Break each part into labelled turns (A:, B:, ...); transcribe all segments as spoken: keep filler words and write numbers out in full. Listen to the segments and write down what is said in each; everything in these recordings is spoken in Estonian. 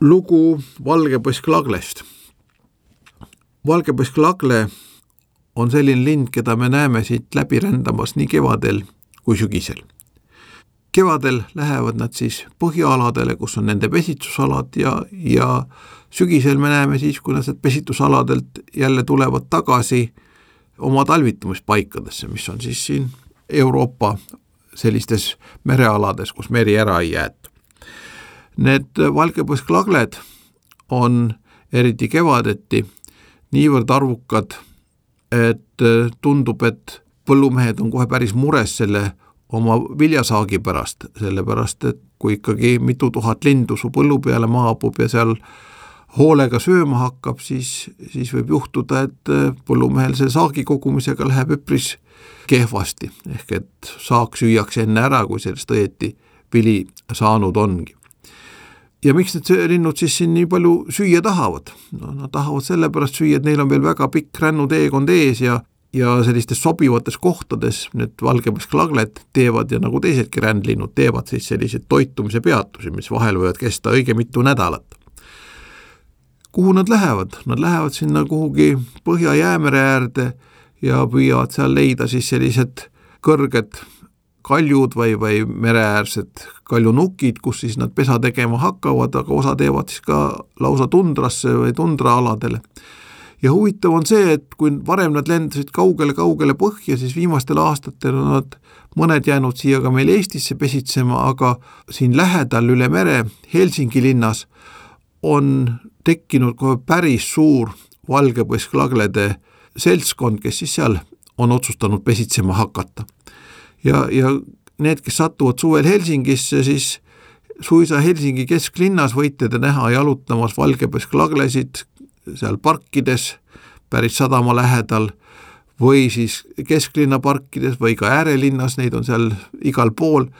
A: lugu valgepõsklaglest. Valgepõsklagle on selline lind, keda me näeme siit läbi rändamas nii kevadel kui sügisel. Kevadel lähevad nad siis põhjaaladele, kus on nende pesitsusalad ja, ja sügisel me näeme siis, kui nad pesitusaladelt jälle tulevad tagasi oma talvitumispaikadesse, mis on siis siin Euroopa sellistes merealades, kus meri ära ei jäeta. Need valgepõsklagled on eriti kevadeti niivõrd arvukad, et tundub, et põllumehed on kohe päris mures selle oma viljasaagi pärast, sellepärast, et kui ikkagi mitu tuhat lindu su põllu peale maabub ja seal hoolega sööma hakkab, siis, siis võib juhtuda, et põllumehel see saagi kogumisega läheb üpris kehvasti, ehk et saak süüakse enne ära, kui sellest õieti vili saanud ongi. Ja miks need linnud siis siin nii palju süüa tahavad? No, nad tahavad sellepärast süüa, et neil on veel väga pikk rännuteekond ees ja, ja sellistes sobivates kohtades need valgepõsklagled teevad ja nagu teisedki rändlinnud teevad siis selliseid toitumise peatusi, mis vahel võivad kesta õige mitu nädalat. Kuhu nad lähevad? Nad lähevad sinna kuhugi Põhja-Jäämere äärde ja püüavad seal leida siis sellised kõrged kaljud või, või mereäärsed kaljunukid, kus siis nad pesa tegema hakkavad, aga osa teevad siis ka lausa tundrasse või tundraaladele. Ja huvitav on see, et kui varem nad lendasid kaugele-kaugele põhja, siis viimastel aastatel on nad mõned jäänud siia ka meil Eestisse pesitsema, aga siin lähedal üle mere Helsingi linnas on tekkinud kohe päris suur valgepõsklaglede seltskond, kes siis seal on otsustanud pesitsema hakata. Ja, ja need, kes satuvad suvel Helsingisse, siis suisa Helsingi kesklinnas võite te näha jalutamas valgepõsklaglesid seal parkides, päris sadama lähedal, või siis kesklinna parkides või ka äärelinnas, neid on seal igal pool.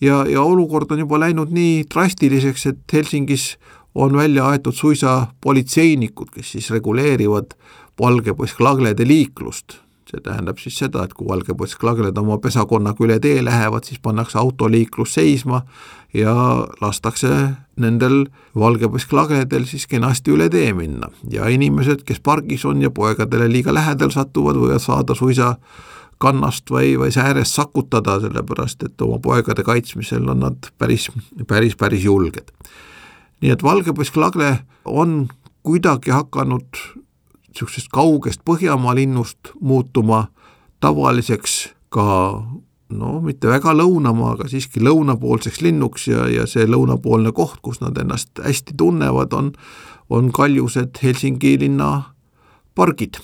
A: Ja, ja olukord on juba läinud nii drastiliseks, et Helsingis on välja aetud suisa politseinikud, kes siis reguleerivad valgepõsklaglede liiklust. See tähendab siis seda, et kui valgepõsklagled oma pesakonnaga üle tee lähevad, siis pannakse autoliiklus seisma ja lastakse nendel valgepõsklagledel siis kenasti üle tee minna. Ja inimesed, kes pargis on ja poegadele liiga lähedal satuvad, võivad saada suisa kannast või, või säärest sakutada, sellepärast, et oma poegade kaitsmisel on nad päris, päris, päris julged. Nii et valgepõsklagle on kuidagi hakanud sellisest kaugest Põhjamaa linnust muutuma tavaliseks ka, no mitte väga lõunamaa, aga siiski lõunapoolseks linnuks ja, ja see lõunapoolne koht, kus nad ennast hästi tunnevad, on, on kaljused Helsingi linna pargid.